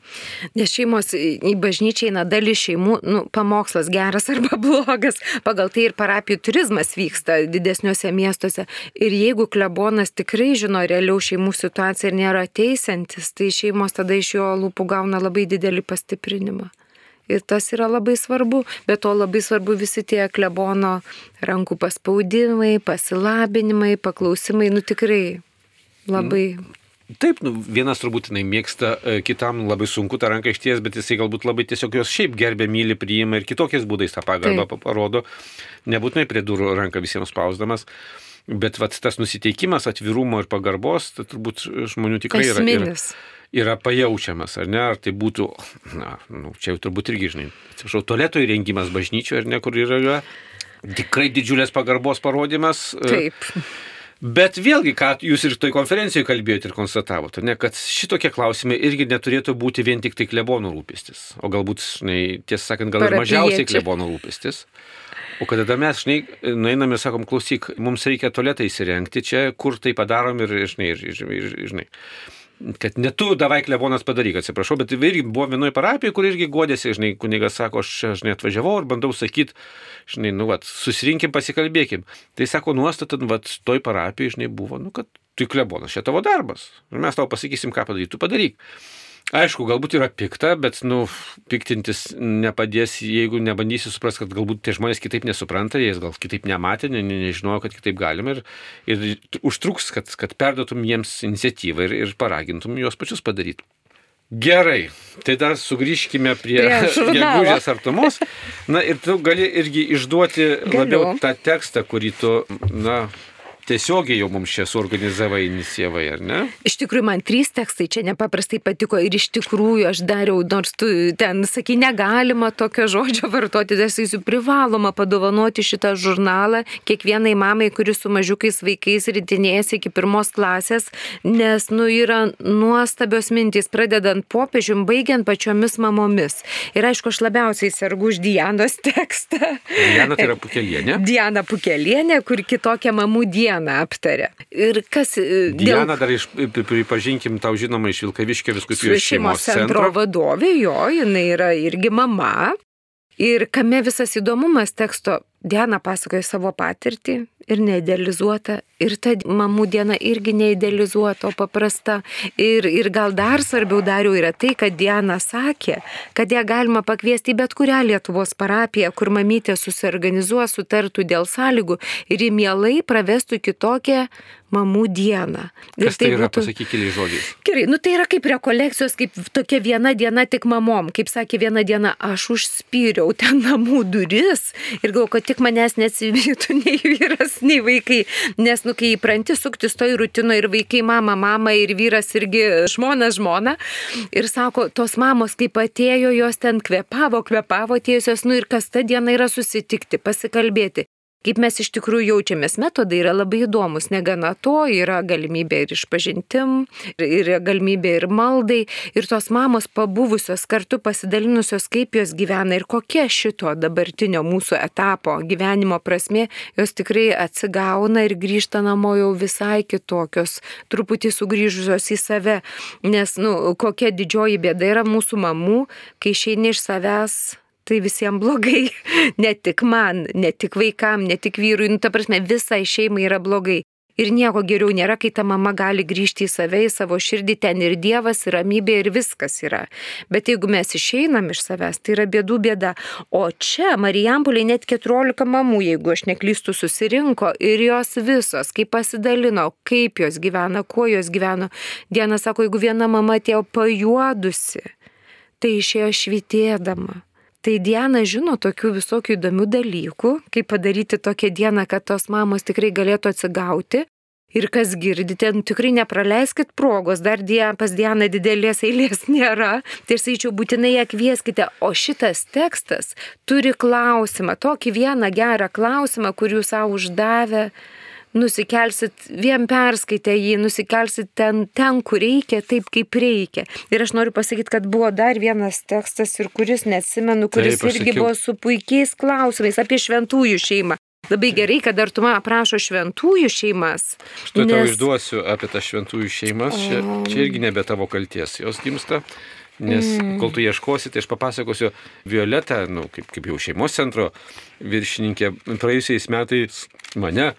Nes šeimos į bažnyčią eina dalis šeimų, nu, pamokslas geras arba blogas, pagal tai ir parapijų turizmas vyksta didesniuose miestuose. Ir jeigu klebonas tikrai žino realiau šeimų situaciją ir nėra teisiantis, tai šeimos tada iš jo lūpų gauna labai didelį pastiprinimą. Ir tas yra labai svarbu, bet to labai svarbu visi tie klebono rankų paspaudimai, pasilabinimai, paklausimai, nu tikrai labai. Taip, nu, vienas turbūt jinai mėgsta, kitam labai sunku tą ranką išties, bet jisai galbūt labai tiesiog jos šiaip gerbė, myli, priima ir kitokiais būdais tą pagarbą parodo, nebūtinai prie durų ranką visiems spausdamas. Bet vat, tas nusiteikimas, atvirumo ir pagarbos, tai turbūt žmonių tikrai yra. Esminis. Yra pajaučiamas, ar ne, ar tai būtų, na, nu, čia jau turbūt irgi, žinai, atsiprašau, tualeto įrengimas bažnyčioje, ar ne, kur yra tikrai didžiulės pagarbos parodimas. Taip. Bet vėlgi, ką jūs ir toj konferencijoje kalbėjote ir konstatavote, ne, kad šitokie klausimai irgi neturėtų būti vien tik tai klebono rūpestis, o galbūt, žinai, tiesą sakant, gal ir mažiausiai klebono rūpestis. O kada mes, žinai, nueiname ir sakom, klausyk, mums reikia tualetą įsirengti čia, kur tai padarom ir, žinai, ir, ir, ir, žinai. Kad ne tu davai klebonas padaryk, atsiprašau, bet irgi buvo vienoje parapijoje, kur irgi godėsi, žinai, kunigas sako, aš, žinai, atvažiavau ir bandau sakyti, žinai, nu, vat, susirinkim, pasikalbėkim. Tai sako, nuostata, vat, toj parapijoje, žinai, buvo, nu, kad tu klebonas, čia tavo darbas. Ir mes tau pasakysim, ką padaryti, tu padaryk. Aišku, galbūt yra pikta, bet, nu, piktintis nepadės, jeigu nebandysi suprasti, kad galbūt tie žmonės kitaip nesupranta, jie gal kitaip nematė, ne, ne, nežinojo, kad kitaip galima ir, ir užtruks, kad, kad perduotum jiems iniciatyvą ir, ir paragintum juos pačius padaryti. Gerai, tai dar sugrįžkime prie gegužės artumos. Na ir tu gali irgi išduoti Galiu. labiau tą tekstą, kurį tu, na... Tiesiogiai jau mums čia suorganizavai, inicijavai, ar ne? Iš tikrųjų, man trys tekstai čia nepaprastai patiko ir iš tikrųjų aš dariau, nors tu ten sakai, negalima tokio žodžio vartoti, tai esu privaloma padovanoti šitą žurnalą kiekvienai mamai, kuri su mažiukais vaikais ritinėjasi iki pirmos klasės, nes, nu, yra nuostabios mintys, pradedant popiežium, baigiant pačiomis mamomis. Ir aišku, aš labiausiai sergu už Dianos tekstą. Diana tai yra Pukelienė. Diana Pukelienė, kur kitokia mamų diena aptarė. Ir kas... Diana dėl... dar iš, pripažinkim, tau žinoma iš Vilkaviškio vyskupijos šeimos centro. centro vadovė, jo, jinai yra irgi mama. Ir kame visas įdomumas teksto, Diana pasakoja savo patirtį ir neidealizuota. Ir ta mamų diena irgi neidealizuota, o paprasta. Ir, ir gal dar svarbiau dariau yra tai, kad Diana sakė, kad ją galima pakviesti į bet kurią Lietuvos parapiją, kur mamytė susiorganizuos, sutartų dėl sąlygų ir į mielai pravestų kitokią mamų dieną. Ir Kas tai, tai yra, būtų... pasakyk keliais žodžiais. Gerai, nu tai yra kaip rekolekcijos, kaip tokia viena diena tik mamom. Kaip sakė viena diena, aš užspyriau ten namų duris ir galvoju, kad tik manęs neatsivytų nei vyras, nei vaikai. Nes, nu, kai įpranti suktis toj rutino ir vaikai mama, mama ir vyras irgi žmona, žmona. Ir sako, tos mamos, kaip atėjo, jos ten kvepavo, kvepavo atėjusios, nu ir kas ta diena yra susitikti, pasikalbėti. Kaip mes iš tikrųjų jaučiamės, metodai yra labai įdomus, negana to, yra galimybė ir išpažintim, yra galimybė ir maldai, ir tos mamos pabuvusios kartu pasidalinusios, kaip jos gyvena ir kokia šito dabartinio mūsų etapo gyvenimo prasmė, jos tikrai atsigauna ir grįžta namo jau visai kitokios, truputį sugrįžusios į save, nes, nu, kokia didžioji bėda yra mūsų mamų, kai išeini iš savęs, tai visiems blogai, ne tik man, ne tik vaikam, ne tik vyrui, nu, ta prasme, visai šeimai yra blogai. Ir nieko geriau nėra, kai ta mama gali grįžti į save, į savo širdį, ten ir Dievas, ir ramybė, ir viskas yra. Bet jeigu mes išeinam iš savęs, tai yra bėdų bėda. O čia Marijampolėje net keturiolika mamų, jeigu aš neklystu, susirinko ir jos visos, kaip pasidalino, kaip jos gyvena, kuo jos gyveno. Diena sako, jeigu viena mama atėjo pajuodusi, tai išėjo švytėdama. Tai Diana žino tokių visokių įdomių dalykų, kaip padaryti tokią dieną, kad tos mamos tikrai galėtų atsigauti. Ir kas girdite, nu, tikrai nepraleiskit progos, dar die, pas Dianą didelės eilės nėra, tai aš sakyčiau, būtinai ją kvieskite. O šitas tekstas turi klausimą, tokį vieną gerą klausimą, kur jūs savo uždavę, nusikelsit, vien perskaitę jį, nusikelsit ten, ten, kur reikia, taip kaip reikia. Ir aš noriu pasakyti, kad buvo dar vienas tekstas, ir kuris neatsimenu, kuris taip, irgi buvo su puikiais klausimais apie šventųjų šeimą. Labai gerai, kad Artuma aprašo šventųjų šeimas. Štai nes... tau išduosiu apie tą šventųjų šeimas, čia, čia irgi nebe tavo kalties jos gimsta, nes mm. kol tu ieškosi, tai aš papasakosiu Violetą, nu, kaip, kaip jau šeimos centro viršininkė, praėjusiais metais mane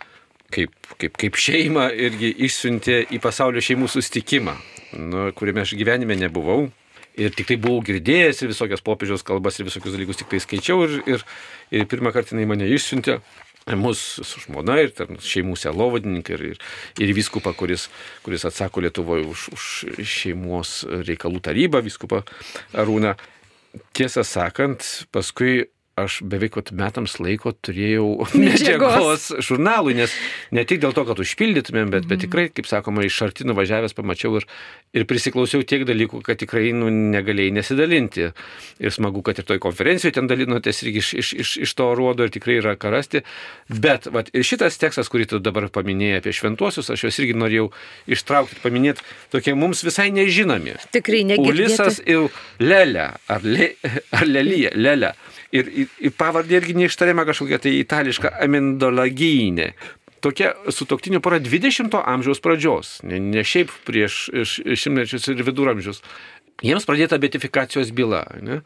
kaip, kaip, kaip šeima irgi išsiuntė į pasaulio šeimų susitikimą, nu, kuriame aš gyvenime nebuvau. Ir tik tai buvau girdėjęs ir visokias popiežiaus kalbas ir visokius dalykus tik tai skaičiau ir, ir, ir pirmą kartą jinai mane išsiuntė, mus su žmona ir šeimų sielovadininkai ir, ir, ir vyskupą, kuris, kuris atsako Lietuvoje už, už šeimos reikalų tarybą, vyskupą Arūną. Tiesą sakant, paskui aš beveik metams laiko turėjau medžiagos žurnalui, nes ne tik dėl to, kad užpildytumėm, bet, bet tikrai, kaip sakoma, iš arti nuvažiavęs pamačiau ir, ir prisiklausiau tiek dalykų, kad tikrai nu, negalėjai nesidalinti. Ir smagu, kad ir toj konferencijoje ten dalinotės irgi iš, iš, iš, iš to rodo ir tikrai yra ką rasti. Bet vat, ir šitas tekstas, kurį tu dabar paminėjai apie šventuosius, aš juos irgi norėjau ištraukti, paminėti, tokie mums visai nežinomi. Tikrai negirdėti. Ulisas ir Lelė, ar, le, ar Lelija, Lelė. Ir, ir, ir pavardė irgi neištariama kažkokia tai itališka Amendolagynė. Tokia sutuoktinių pora dvidešimto amžiaus pradžios, ne, ne šiaip prieš šimtmečius ir viduramžius. Jiems pradėta beatifikacijos byla. Ne?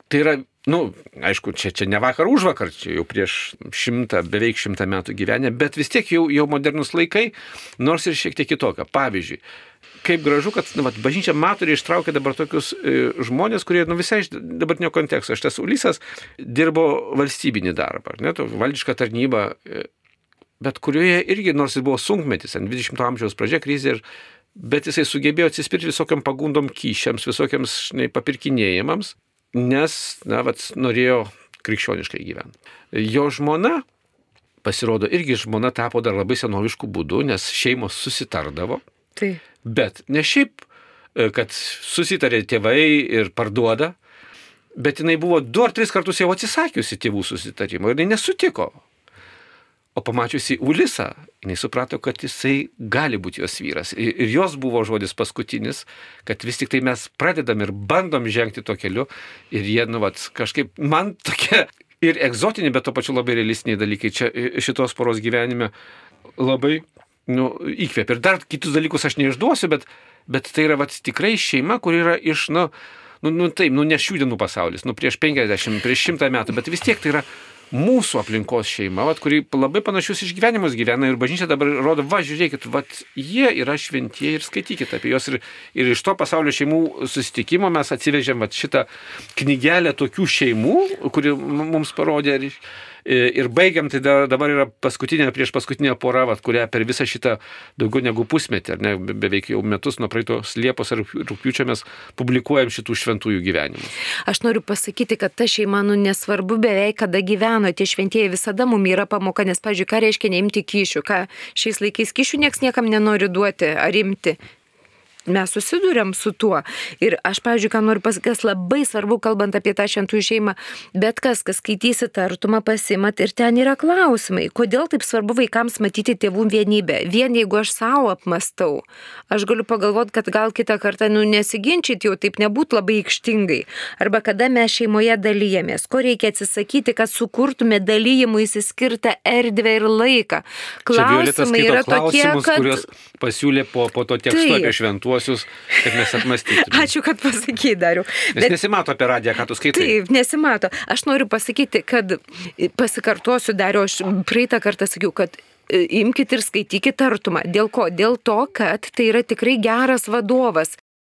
Tai yra, nu, aišku, čia, čia ne vakar už vakar, čia jau prieš šimtą, beveik šimtą metų gyvenę, bet vis tiek jau, jau modernus laikai, nors ir šiek tiek kitokia. Pavyzdžiui, kaip gražu, kad nu, vat, bažnyčia mato ir ištraukia dabar tokius e, žmonės, kurie nu, visai iš dabartinio konteksto. Šitas Ulisas dirbo valstybinį darbą, ne, to, valdišką tarnybą, e, bet kurioje irgi, nors jis buvo sunkmetis, dvidešimto amžiaus pradžia krizė, ir, bet jisai sugebėjo atsispirti visokiam pagundom kyšiams, visokiams žinai, papirkinėjimams, nes, na, vat, norėjo krikščioniškai gyventi. Jo žmona, pasirodo, irgi žmona tapo dar labai senoviškų būdų, nes šeimos susitardavo. Tai. Bet ne šiaip, kad susitarė tėvai ir parduoda, bet jinai buvo du ar tris kartus jau atsisakiusi tėvų susitarimo ir jinai nesutiko. O pamačiusi Ulisą, jinai suprato, kad jisai gali būti jos vyras. Ir jos buvo žodis paskutinis, kad vis tik tai mes pradedam ir bandom žengti to keliu ir jie, nu, vat, kažkaip man tokie ir egzotiniai, bet to pačiu labai realistiniai dalykai čia šitos poros gyvenime labai nu, įkvėpia. Ir dar kitus dalykus aš neišduosiu, bet, bet tai yra vat, tikrai šeima, kur yra iš, nu, nu, nu taip, nu, ne šių dienų pasaulis, nu, prieš penkiasdešimt, prieš šimtą metų, bet vis tiek tai yra mūsų aplinkos šeima, vat, kuri labai panašius išgyvenimus gyvena ir bažnyčia dabar rodo, va, žiūrėkit, vat, jie yra šventieji ir skaitykit apie juos. Ir, ir iš to pasaulio šeimų susitikimo mes atsivežėm vat, šitą knygelę tokių šeimų, kuri mums parodė. Ir, ir baigiam, tai dabar yra paskutinė, prieš paskutinė pora, vat, kurią per visą šitą daugiau negu pusmetį, ar ne, beveik jau metus nuo praeitos Liepos ar rugpjūčio mes publikuojam šitų šventųjų gyvenimus. Aš noriu pasakyti, kad ta šeima, nu, nesvarbu beveik, kada gyveno, tie šventieji visada mums yra pamoka, nes, pavyzdžiui, ką reiškia neimti kyšių, ką šiais laikais kyšių nieks niekam nenori duoti ar imti. Mes susidūrėm su tuo. Ir aš, pavyzdžiui, ką noriu pasakyti, kas labai svarbu, kalbant apie tą šventųjų šeimą, bet kas, kas skaitysit Artumą, pasimat ir ten yra klausimai. Kodėl taip svarbu vaikams matyti tėvų vienybę? Vien jeigu aš savo apmastau, aš galiu pagalvoti, kad gal kitą kartą, nu, nesiginčyti jau taip nebūtų labai aikštingai. Arba kada mes šeimoje dalyjamės, ko reikia atsisakyti, kad sukurtume dalyjimui įsiskirtą erdvę ir laiką. Klausimai yra tokie, kad... kuriuos pasiūlė po, po to teksto apie šventuosius, kad mes apmastytume. Ačiū, kad pasakei, Dariau. Nes bet... nesimato apie radiją, ką tu skaitai. Taip, nesimato. Aš noriu pasakyti, kad pasikartosiu, Dariau, aš praeitą kartą sakiau, kad imkite ir skaitykite artumą. Dėl ko? Dėl to, kad tai yra tikrai geras vadovas.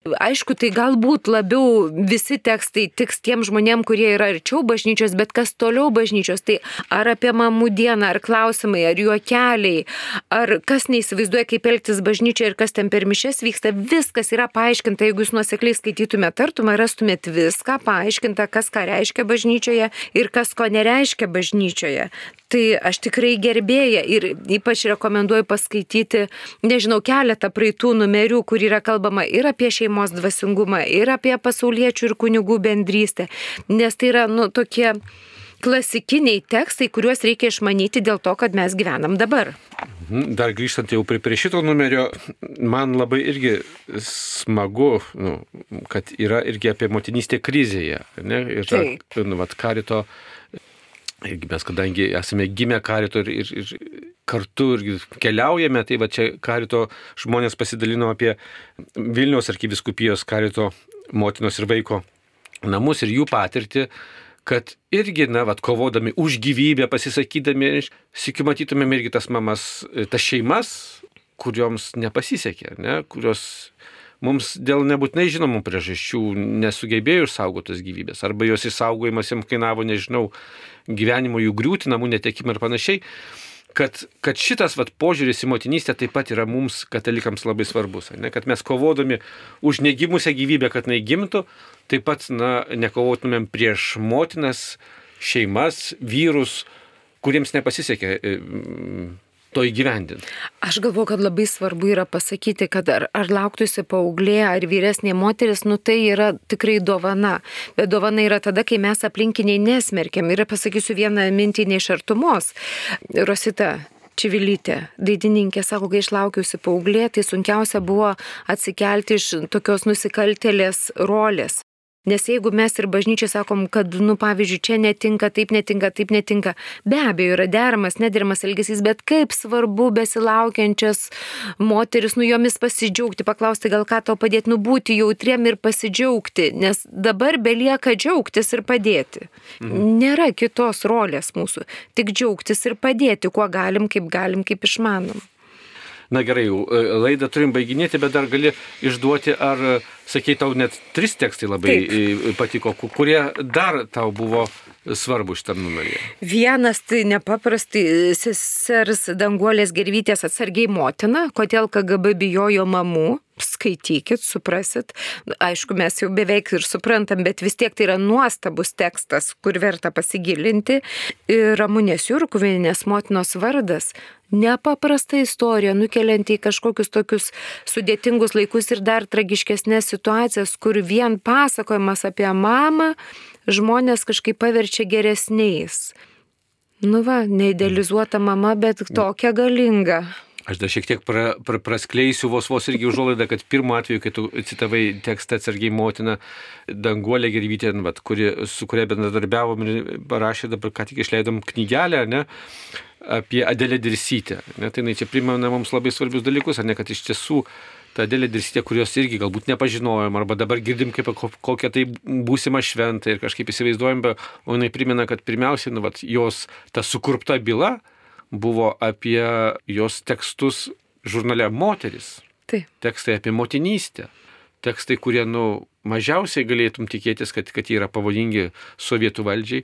Aišku, tai galbūt labiau visi tekstai tiks tiem žmonėm, kurie yra arčiau bažnyčios, bet kas toliau bažnyčios, tai ar apie mamų dieną, ar klausimai, ar juokeliai, ar kas neįsivaizduoja, kaip elgtis bažnyčioje ir kas ten per mišias vyksta, viskas yra paaiškinta. Jeigu jūs nuosekliai skaitytumėte artumą, rastumėt viską paaiškinta, kas ką reiškia bažnyčioje ir kas ko nereiškia bažnyčioje. Tai aš tikrai gerbėja ir ypač rekomenduoju paskaityti, nežinau, keletą praeitų numerių, kur yra kalbama ir apie šeimos dvasingumą, ir apie pasauliečių ir kunigų bendrystę, nes tai yra, nu, tokie klasikiniai tekstai, kuriuos reikia išmanyti dėl to, kad mes gyvenam dabar. Dar grįžtant jau prie, prie šito numerio, man labai irgi smagu, nu, kad yra irgi apie motinystę krizėje, ne? Ir ta, nu, vat, Karito. Irgi mes, kadangi esame gimę Karito ir, ir, ir kartu ir keliaujame, tai va čia Karito žmonės pasidalino apie Vilniaus arkivyskupijos Karito motinos ir vaiko namus ir jų patirtį, kad irgi, na, vat, kovodami už gyvybę, pasisakydami, sykiu matytumėm irgi tas mamas, tas šeimas, kurioms nepasisekė, ne, kurios mums dėl nebūtinai žinomų priežasčių nesugebėjo išsaugotas gyvybės, arba jos išsaugojimas jiems kainavo, nežinau, gyvenimo jų griūtį, namų netekimą ir panašiai, kad, kad šitas vat, požiūris į motinystę taip pat yra mums, katalikams, labai svarbus. Ne? Kad mes kovodami už negimusią gyvybę, kad jinai gimtų, taip pat, na, nekovotumėm prieš motinas, šeimas, vyrus, kuriems nepasisekė to įgyvendinti. Aš galvoju, kad labai svarbu yra pasakyti, kad ar, ar lauktųsi paauglė, ar vyresnė moteris, nu tai yra tikrai dovana. Bet dovana yra tada, kai mes aplinkiniai nesmerkiam. Ir pasakysiu vieną mintį iš artumos. Rosita Čivilytė, dainininkė, sako, kai išlaukiausi paauglė, tai sunkiausia buvo atsikelti iš tokios nusikaltėlės rolės. Nes jeigu mes ir bažnyčiai sakom, kad, nu, pavyzdžiui, čia netinka, taip netinka, taip netinka, be abejo yra deramas, nederamas elgesys, bet kaip svarbu besilaukiančias moteris, nu, jomis pasidžiaugti, paklausti, gal ką tau padėti, nu, būti jautriem ir pasidžiaugti, nes dabar belieka džiaugtis ir padėti. Mhm. Nėra kitos rolės mūsų, tik džiaugtis ir padėti, kuo galim, kaip galim, kaip išmanom. Na gerai, laidą turim baiginėti, bet dar gali išduoti, ar, sakai, tau net tris tekstai labai Taip. patiko, kurie dar tau buvo svarbu šitam numeryje. Vienas tai nepaprastai sesers Danguolės Gervytės Atsargiai motina, kodėl K G B bijojo mamų. Skaitykit, suprasit. Aišku, mes jau beveik ir suprantam, bet vis tiek tai yra nuostabus tekstas, kur verta pasigilinti. Ir Ramunės Jurkuvienės motinos vardas. Nepaprasta istorija, nukelianti į kažkokius tokius sudėtingus laikus ir dar tragiškesnės situacijas, kur vien pasakojimas apie mamą žmonės kažkaip paverčia geresniais. Nu va, neidealizuota mama, bet tokia galinga. Aš dar šiek tiek pra, pra, praskleisiu vos vos irgi užuolaidą, kad pirmo atveju, kai tu citavai tekstą Atsargiai motina Danguolė Gervytė, kuri, su kuria bendradarbiavom ir parašė, dabar ką tik išleidom knygelę, ne, apie Adelę Dirsytę. Ne, tai čia primena mums labai svarbius dalykus, ar ne, kad iš tiesų ta Adelė Dirsytė, kurios irgi galbūt nepažinojom, arba dabar girdim kaip kokią tai būsimą šventą ir kažkaip įsivaizduojam, o jinai primena, kad pirmiausiai, nu, vat, jos ta sukurpta byla buvo apie jos tekstus žurnale Moteris. Taip. Tekstai apie motinystę. Tekstai, kurie, nu, mažiausiai galėtum tikėtis, kad, kad jie yra pavojingi sovietų valdžiai.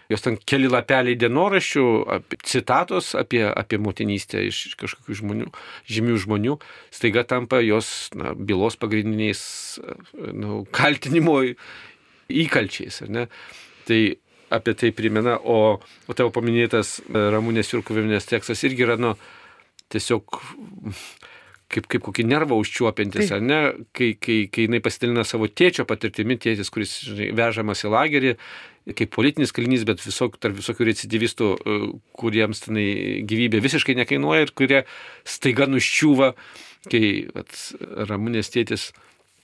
Jos ten keli lapeliai dienoraščių, apie, citatos apie, apie motinystę iš kažkokių žmonių, žymių žmonių, staiga tampa jos, na, bylos pagrindiniais, nu, kaltinimo įkalčiais. Ar ne? Tai apie tai primena, o, o tavo paminėtas Ramunės Jurkuvienės tekstas irgi yra, nu, tiesiog kaip, kaip kokį nervą užčiuopiantis, ar ne, kai, kai, kai jinai pasidalina savo tėčio patirtimi, tėtis, kuris, žinai, vežamas į lagerį, kaip politinis kalinys, bet visok, tarp visokių recidivistų, kuriems tenai gyvybė visiškai nekainuoja ir kurie staiga nuščiūva, kai vat, Ramunės tėtis,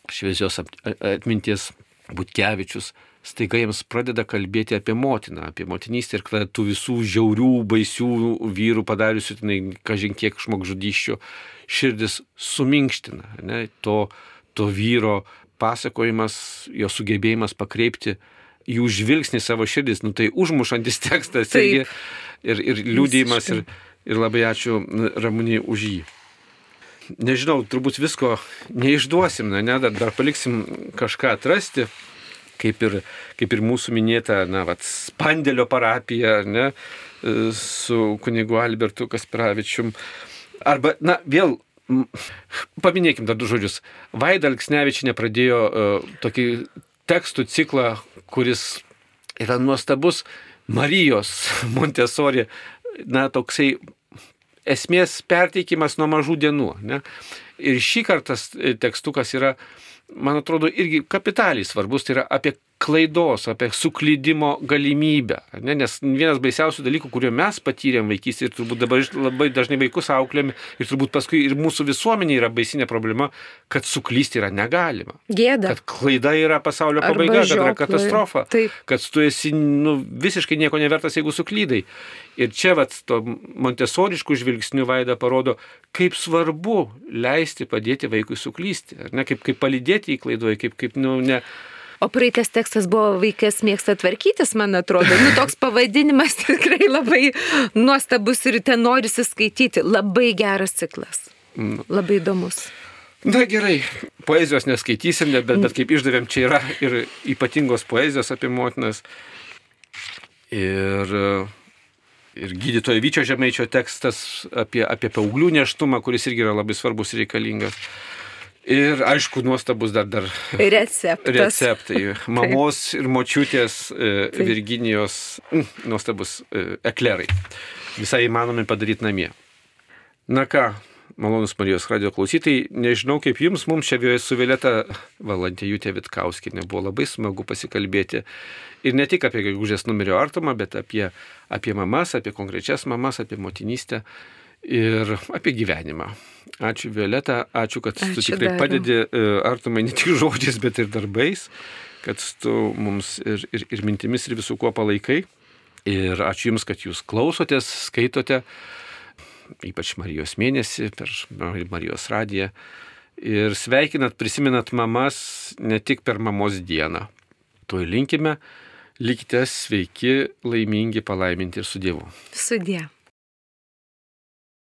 šviesios atminties Butkevičius, staiga jiems pradeda kalbėti apie motiną, apie motinystę ir tų visų žiaurių, baisių vyrų padariusių, tenai, kažin kiek žmogžudysčių, širdis suminkština. Ne? To, to vyro pasakojimas, jo sugebėjimas pakreipti jų žvilgsnį savo širdis, nu tai užmušantis tekstas irgi, ir, ir liūdėjimas, ir ir labai ačiū Ramunei už jį. Nežinau, turbūt visko neišduosim, ne, dar, dar paliksim kažką atrasti, kaip ir, kaip ir mūsų minėta, na, vat, Spandėlio parapija, ne, su kunigu Albertu Kasperavičium. Arba, na, vėl, paminėkim dar du žodžius. Vaida Alksnevičienė pradėjo uh, tokį tekstų ciklą, kuris yra nuostabus, Marijos Montesori, na, toksai esmės perteikimas nuo mažų dienų. Ne? Ir šį kartą tekstukas yra, man atrodo, irgi kapitaliai svarbus, tai yra apie klaidos, apie suklydimo galimybę. Ne? Nes vienas baisiausių dalykų, kurio mes patyrėm vaikystėje ir turbūt dabar labai dažnai vaikus auklėm ir turbūt paskui ir mūsų visuomenė yra baisinė problema, kad suklysti yra negalima. Gėda. Kad klaida yra pasaulio pabaiga, Arba kad yra žioplai. katastrofa. Taip. Kad tu esi nu, visiškai nieko nevertas, jeigu suklydai. Ir čia vat, to montesoriškų žvilgsnių Vaida parodo, kaip svarbu leisti padėti vaikui suklysti. Ar ne? Kaip, kaip palydėti į klaidoje, kaip, kaip nu, ne... O praeitas tekstas buvo Vaikas mėgsta tvarkytis, man atrodo. Nu, toks pavadinimas tikrai labai nuostabus ir ten norisi skaityti. Labai geras ciklas. Labai įdomus. Na gerai, poezijos neskaitysim, bet, bet kaip išdavėm, čia yra ir ypatingos poezijos apie motinas. Ir, ir gydytojo Vyčio Žemaičio tekstas apie, apie paauglių nėštumą, kuris irgi yra labai svarbus ir reikalingas. Ir aišku, nuostabus dar, dar receptas. receptai. Mamos ir močiutės e, Virginijos mm, nuostabus e, eklerai. Visai įmanomi padaryti namie. Na ką, malonus Marijos radijo klausytojai, nežinau kaip jums, mums čia su Violeta Valantėjūtė Vitkauskienė buvo labai smagu pasikalbėti. Ir ne tik apie gegužės numerio artumą, bet apie, apie mamas, apie konkrečias mamas, apie motinystę. Ir apie gyvenimą. Ačiū Violeta, ačiū, kad ačiū tu tikrai dariu. Padedi artumai ne tik žodžiais, bet ir darbais, kad tu mums ir, ir, ir mintimis ir visų kuo palaikai. Ir ačiū Jums, kad Jūs klausotės, skaitote, ypač Marijos mėnesį per Marijos radiją. Ir sveikinat, prisimenat mamas ne tik per mamos dieną. To linkime, likite sveiki, laimingi, palaiminti ir su Dievu. Su Dievu.